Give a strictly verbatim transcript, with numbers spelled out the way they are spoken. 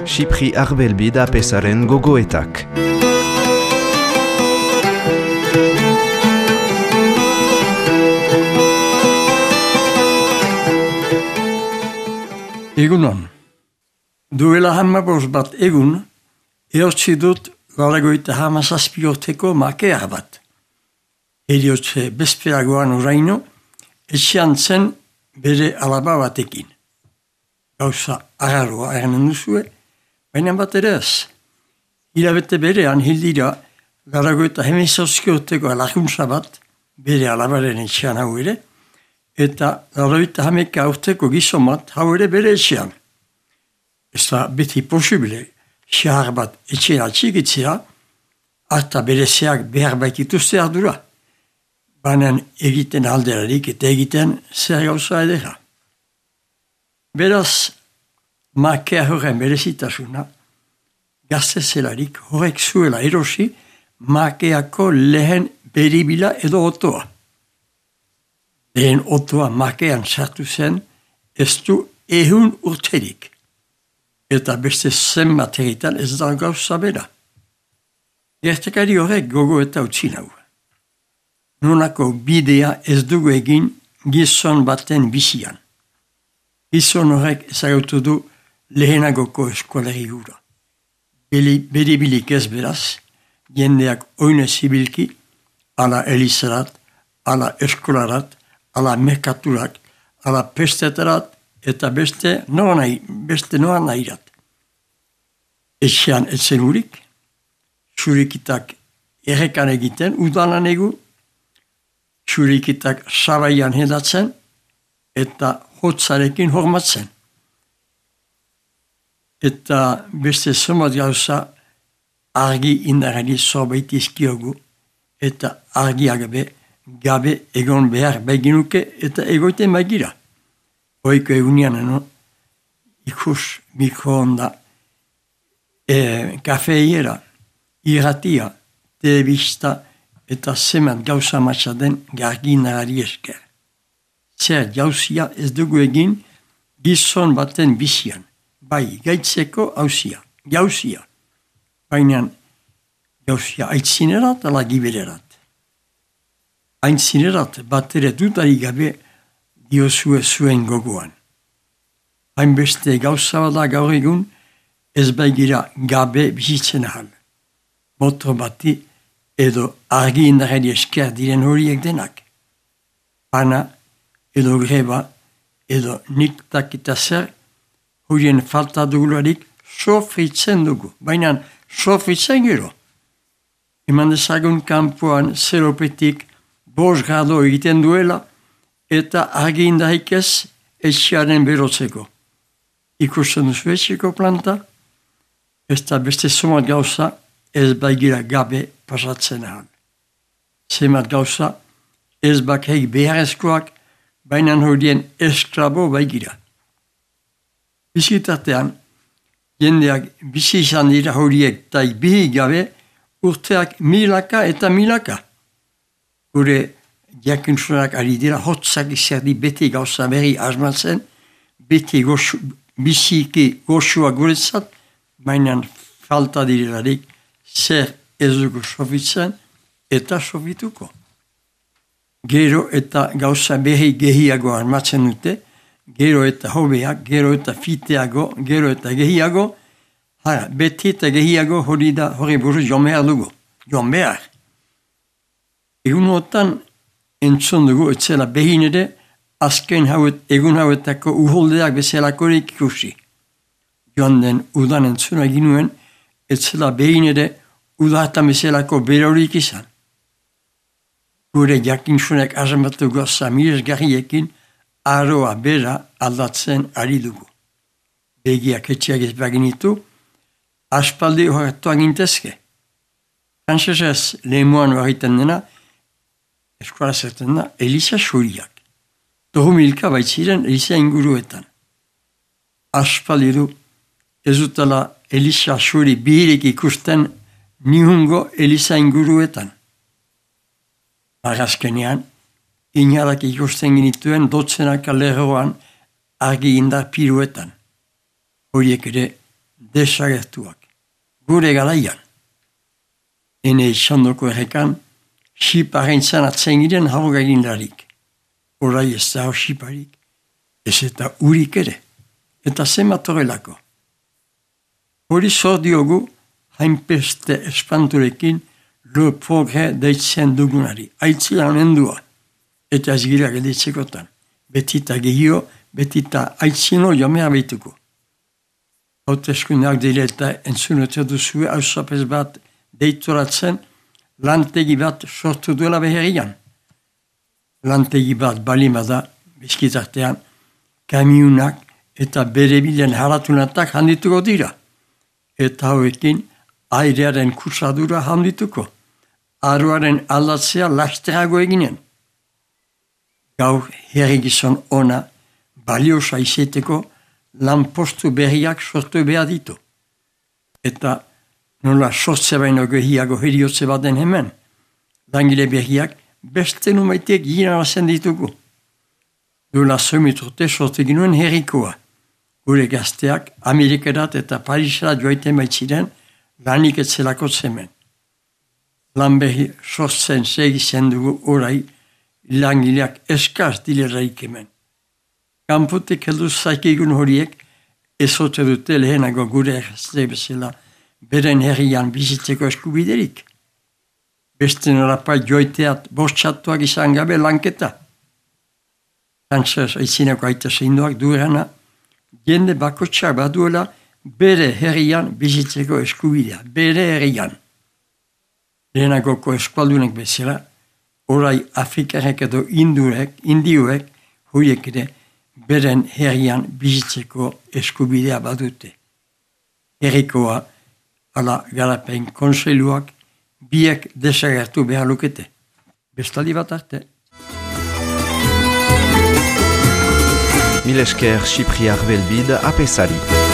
Xipri Arbelbi da pesaren gogoetak. Egunon. Duela hamabost bat egun, eotzi dut galagoita hamazazpioteko makea bat. Eriotze bezperagoan oraino, etxean zen bere alaba batekin. Gauza agarroa ernen duzue, baina bat ere ez. Hilabete berean hildira galagoita hemezazpioteko laguntza bat, bere alabaren etxean hau ere, eta galagoita hameka urteko gizon bat hau ere bere etxean. Ez da beti posible, xahar bat etxean atxikitzea, harta berezeak behar baitituzte ardura. Banan egiten alderarik eta egiten zer gauza edera. Beraz, makea horren berezitasuna, gazte zelarik horrek zuela erosi, makeako lehen beribila edo otoa. Lehen otoa makean sartu zen, ez du ehun urterik. Eta beste zenbat egitan ez da gauza bera. Gertekari horrek gogo eta utzi nau. Nonako bidea ez dugu egin gizon baten bizian. Gizon horrek ezagutu du lehenagoko eskolari hura. Beribilik ez beraz, jendeak oine zibilki, ala elizarat, ala eskolarat, ala merkaturak, ala pestetarat, eta beste noa nahi, beste noa nahirat. Etxean etzen urik, xurikitak errekan egiten, udanan egu, xurikitak sabaian hedatzen, eta hotzarekin hormatzen. Eta beste zomat gauza argi indarari zorbait izkiogu, eta argi agabe, gabe egon behar baiginuke eta egoiten baigira. Oiko egunean, no? Ikus mikroonda, e, kafeiera, irratia, telebista eta zemat gauza matxaden garginarari esker. Zer jauzia ez dugu egin gizon baten bizian, bai gaitzeko hauzia, jauzia. Baina jauzia aitzinerat ala gibererat. Aitzinerat bat ere dudari gabe diozue zuen gogoan. Hainbeste gauza bada gaur egun, ez baigira gabe bizitzen ahal. Motor bati edo argi indarari esker diren horiek denak. Pana edo greba edo niktak eta zer horien falta dugularik sofritzen dugu. Baina sofritzen gero. Eman dezagun kanpoan zeropetik bost grado egiten duela, eta argi indarik ez etxearen berotzeko. Ikusten duzu etxeko planta, ez da beste zomat gauza ez baigira gabe pasatzen ahal. Zemat gauza ez bakheik beharrezkoak, baina horien esklabo baigira. Bizitatean, jendeak bizi izan dira horiek taik bihi gabe urteak milaka eta milaka. Gure jakuntzunak ari dira, hotzak izerdi beti gauza berri asmatzen, beti goxu, biziki goxua guretzat, mainan falta direlarik zer ez dugu sofitzen eta sofituko. Gero eta gauza berri gehiago asmatzen dute, gero eta hobeak, gero eta fiteago, gero eta gehiago, hara, beti eta gehiago hori da, hori buruz joan behar dugu, joan behar. Egun hotan entzun dugu etzela behin ere azken hauet, egun hauetako uholdeak bezalakorik ikusi. Joan den udan entzuna ginuen etzela behin ere udatan bezalako berorik izan. Gure jakintzunek azamatu goza miresgarriekin aroa bera aldatzen ari dugu. Begiak etxeak ez baginitu, aspaldi horretu agintezke. Frantzesez lehemoan horretan dena, eskola zerten da, Eliza Xuriak. Dohu milka baitziren Eliza inguruetan. Aspaldi du, ez dutela Eliza Xuri bihirik ikusten nihungo Eliza inguruetan. Arrazkenean, inarak ikusten genituen dotzenaka lerroan argi indar piruetan. Horiek ere desagertuak. Gure garaian. Ene izandoko errekan, xiparen zanatzen giren hauga egindarik. Horai ez da xiparik, ez eta urik ere. Eta zemat horrelako. Hori zor diogu, hainpeste espanturekin, le progre deitzen dugunari. Aitzila honendua. Eta ez gira gelditzekotan. Betita gehio, betita aitzino jomea behituko. Hauteskundeak dira eta entzunote duzue hausapez bat deitoratzen lantegi bat sortu duela beherian. Lantegi bat balima da, bizkitartean, kamiunak eta bere bilen haratunatak handituko dira. Eta hauekin airearen kutsadura handituko. Aroaren aldatzea lasterago eginen. Gaur herrigizon ona baliosa izeteko lanpostu berriak sortu behar ditu. Eta nola sortze baino gehiago heriotze baden hemen, langile berriak beste numaitek ginarazen ditugu. Duela zomiturte sortu ginuen herrikoa. Gure gazteak Amerikerat eta Parisera joaiten baitziren lanik etzelako zemen. Lan berri sortzen segizen dugu orai langileak eskaz dileraik hemen. Kanpotik heldu zaikigun horiek ezote dute lehenago gure gazte bezala beren herrian bizitzeko eskubiderik. Beste norapa joiteat bortxatuak izan gabe lanketa. Frantzaz aizinako aita zeinduak duerana, jende bakotxak baduela bere herrian bizitzeko eskubidea, bere herrian. Lehenagoko eskualdunek bezala, orai Afrikarek edo Indurek, Indiuek, horiek ere beren herrian bizitzeko eskubidea badute. Herrikoa, ala garapen konseiluak, biek desagertu behar lukete. Bestaldi bat arte. Mil esker Xipriar Belbide apesari.